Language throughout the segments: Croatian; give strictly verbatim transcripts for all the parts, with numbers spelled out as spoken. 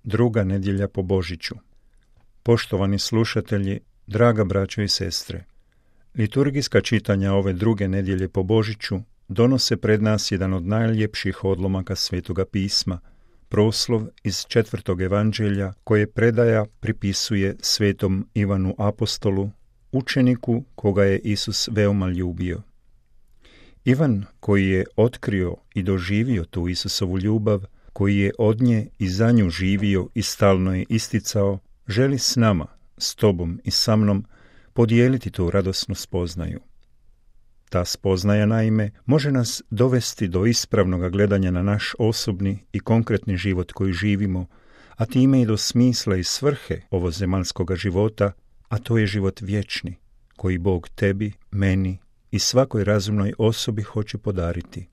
druga nedjelja po Božiću. Poštovani slušatelji, draga braćo i sestre, liturgijska čitanja ove druge nedjelje po Božiću donose pred nas jedan od najljepših odlomaka Svetoga pisma, proslov iz četvrtog evanđelja koje predaja pripisuje svetom Ivanu apostolu, učeniku koga je Isus veoma ljubio. Ivan, koji je otkrio i doživio tu Isusovu ljubav, koji je od nje i za nju živio i stalno je isticao, želi s nama, s tobom i sa mnom, podijeliti tu radosnu spoznaju. Ta spoznaja, naime, može nas dovesti do ispravnog gledanja na naš osobni i konkretni život koji živimo, a time i do smisla i svrhe ovozemaljskoga života, a to je život vječni, koji Bog tebi, meni i svakoj razumnoj osobi hoće podariti.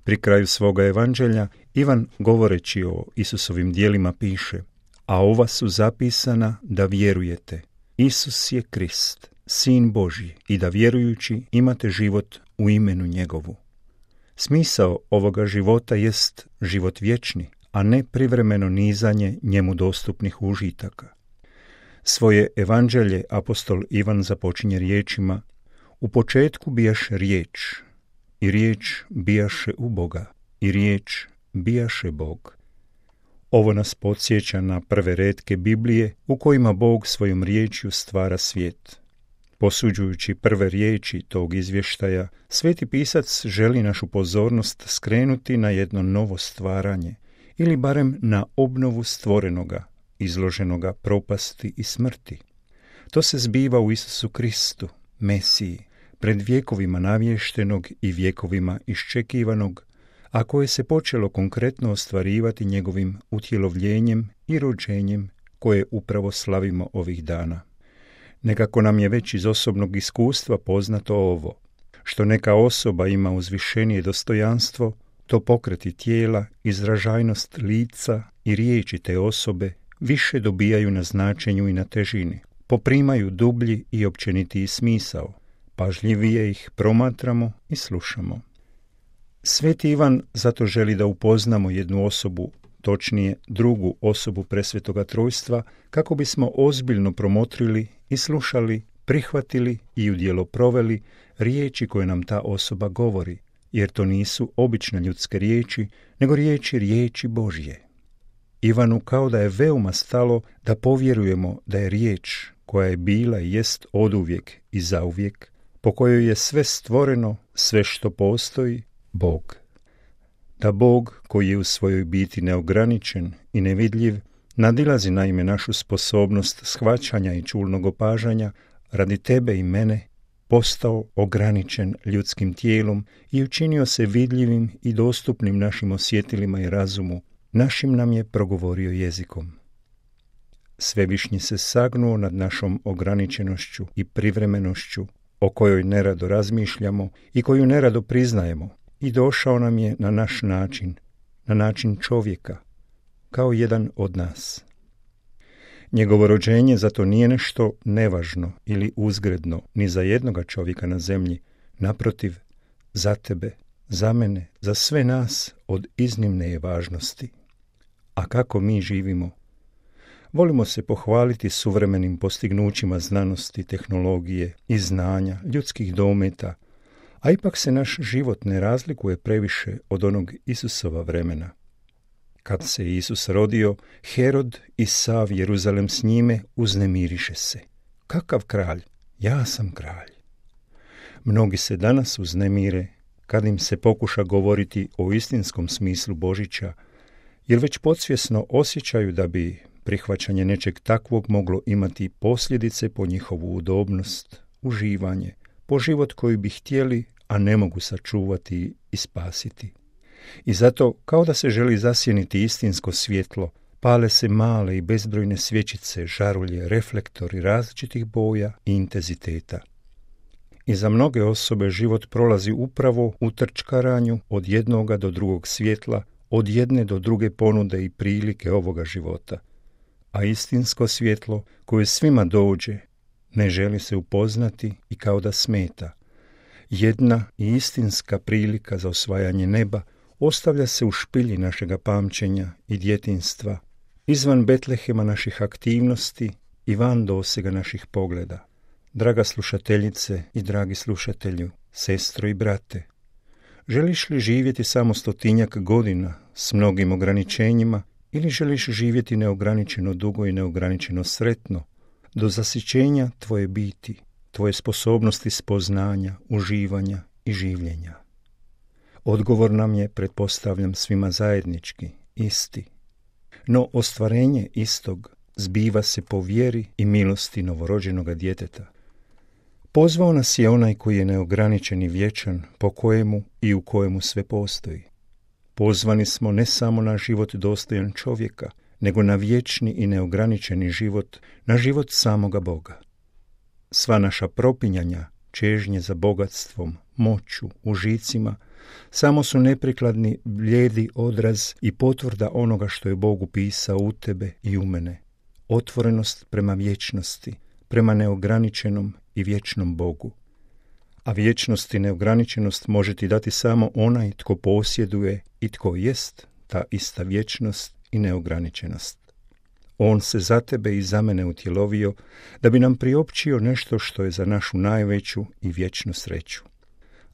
Pri kraju svoga evanđelja Ivan, govoreći o Isusovim djelima, piše: a ova su zapisana da vjerujete, Isus je Krist, Sin Božji, i da vjerujući imate život u imenu njegovu. Smisao ovoga života jest život vječni, a ne privremeno nizanje njemu dostupnih užitaka. Svoje evanđelje apostol Ivan započinje riječima: u početku bijaše riječ, i riječ bijaše u Boga, i riječ bijaše Bog. Ovo nas podsjeća na prve retke Biblije u kojima Bog svojom riječju stvara svijet. Posuđujući prve riječi tog izvještaja, sveti pisac želi našu pozornost skrenuti na jedno novo stvaranje, ili barem na obnovu stvorenoga, izloženoga propasti i smrti. To se zbiva u Isusu Kristu, Mesiji, pred vjekovima navještenog i vjekovima iščekivanog, a koje se počelo konkretno ostvarivati njegovim utjelovljenjem i rođenjem koje upravo slavimo ovih dana. Nekako nam je već iz osobnog iskustva poznato ovo: što neka osoba ima uzvišenije dostojanstvo, to pokreti tijela, izražajnost lica i riječi te osobe više dobijaju na značenju i na težini, poprimaju dublji i općenitiji smisao, pažljivije ih promatramo i slušamo. Sveti Ivan zato želi da upoznamo jednu osobu, točnije drugu osobu Presvetoga Trojstva, kako bismo ozbiljno promotrili i slušali, prihvatili i u djelo proveli riječi koje nam ta osoba govori, jer to nisu obične ljudske riječi, nego riječi riječi Božje. Ivanu kao da je veoma stalo da povjerujemo da je riječ koja je bila i jest oduvijek i zauvijek, po kojoj je sve stvoreno, sve što postoji, Bog. Da Bog, koji je u svojoj biti neograničen i nevidljiv, nadilazi naime našu sposobnost shvaćanja i čulnog opažanja, radi tebe i mene postao ograničen ljudskim tijelom i učinio se vidljivim i dostupnim našim osjetilima i razumu, našim nam je progovorio jezikom. Svevišnji se sagnuo nad našom ograničenošću i privremenošću, o kojoj nerado razmišljamo i koju nerado priznajemo, i došao nam je na naš način, na način čovjeka, kao jedan od nas. Njegovo rođenje zato nije nešto nevažno ili uzgredno ni za jednoga čovjeka na zemlji, naprotiv, za tebe, za mene, za sve nas od iznimne je važnosti. A kako mi živimo? Volimo se pohvaliti suvremenim postignućima znanosti, tehnologije i znanja, ljudskih dometa, a ipak se naš život ne razlikuje previše od onog Isusova vremena. Kad se Isus rodio, Herod i sav Jeruzalem s njime uznemiriše se. Kakav kralj? Ja sam kralj. Mnogi se danas uznemire kad im se pokuša govoriti o istinskom smislu Božića, jer već podsvjesno osjećaju da bi prihvaćanje nečeg takvog moglo imati posljedice po njihovu udobnost, uživanje, po život koji bi htjeli, a ne mogu sačuvati i spasiti. I zato, kao da se želi zasjeniti istinsko svjetlo, pale se male i bezbrojne svječice, žarulje, reflektori različitih boja i intenziteta. I za mnoge osobe život prolazi upravo u trčkaranju od jednoga do drugog svjetla, od jedne do druge ponude i prilike ovoga života. A istinsko svjetlo, koje svima dođe, ne želi se upoznati i kao da smeta. Jedna i istinska prilika za osvajanje neba ostavlja se u špilji našega pamćenja i djetinjstva, izvan Betlehema naših aktivnosti i van dosega naših pogleda. Draga slušateljice i dragi slušatelju, sestro i brate, želiš li živjeti samo stotinjak godina s mnogim ograničenjima ili želiš živjeti neograničeno dugo i neograničeno sretno, do zasićenja tvoje biti, tvoje sposobnosti spoznanja, uživanja i življenja? Odgovor nam je, pretpostavljam, svima zajednički, isti. No ostvarenje istog zbiva se po vjeri i milosti novorođenoga djeteta. Pozvao nas je onaj koji je neograničen i vječan, po kojemu i u kojemu sve postoji. Pozvani smo ne samo na život dostojan čovjeka, nego na vječni i neograničeni život, na život samoga Boga. Sva naša propinjanja, čežnje za bogatstvom, moću, užicima, samo su neprikladni blijedi odraz i potvrda onoga što je Bog upisao u tebe i u mene. Otvorenost prema vječnosti, prema neograničenom i vječnom Bogu. A vječnost i neograničenost može ti dati samo onaj tko posjeduje i tko jest ta ista vječnost i neograničenost. On se za tebe i za mene utjelovio da bi nam priopćio nešto što je za našu najveću i vječnu sreću.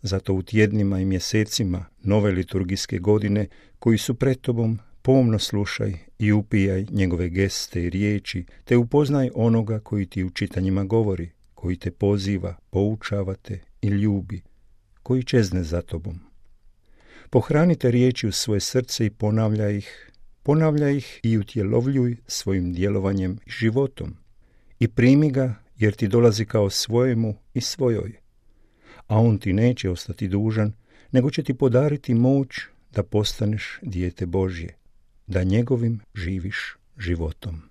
Zato u tjednima i mjesecima nove liturgijske godine koji su pred tobom, pomno slušaj i upijaj njegove geste i riječi, te upoznaj onoga koji ti u čitanjima govori, koji te poziva, poučava te i ljubi, koji čezne za tobom. Pohranite riječi u svoje srce i ponavljaj ih, ponavljaj ih i utjelovljuj svojim djelovanjem i životom. I primi ga jer ti dolazi kao svojemu i svojoj. A on ti neće ostati dužan, nego će ti podariti moć da postaneš dijete Božje, da njegovim živiš životom.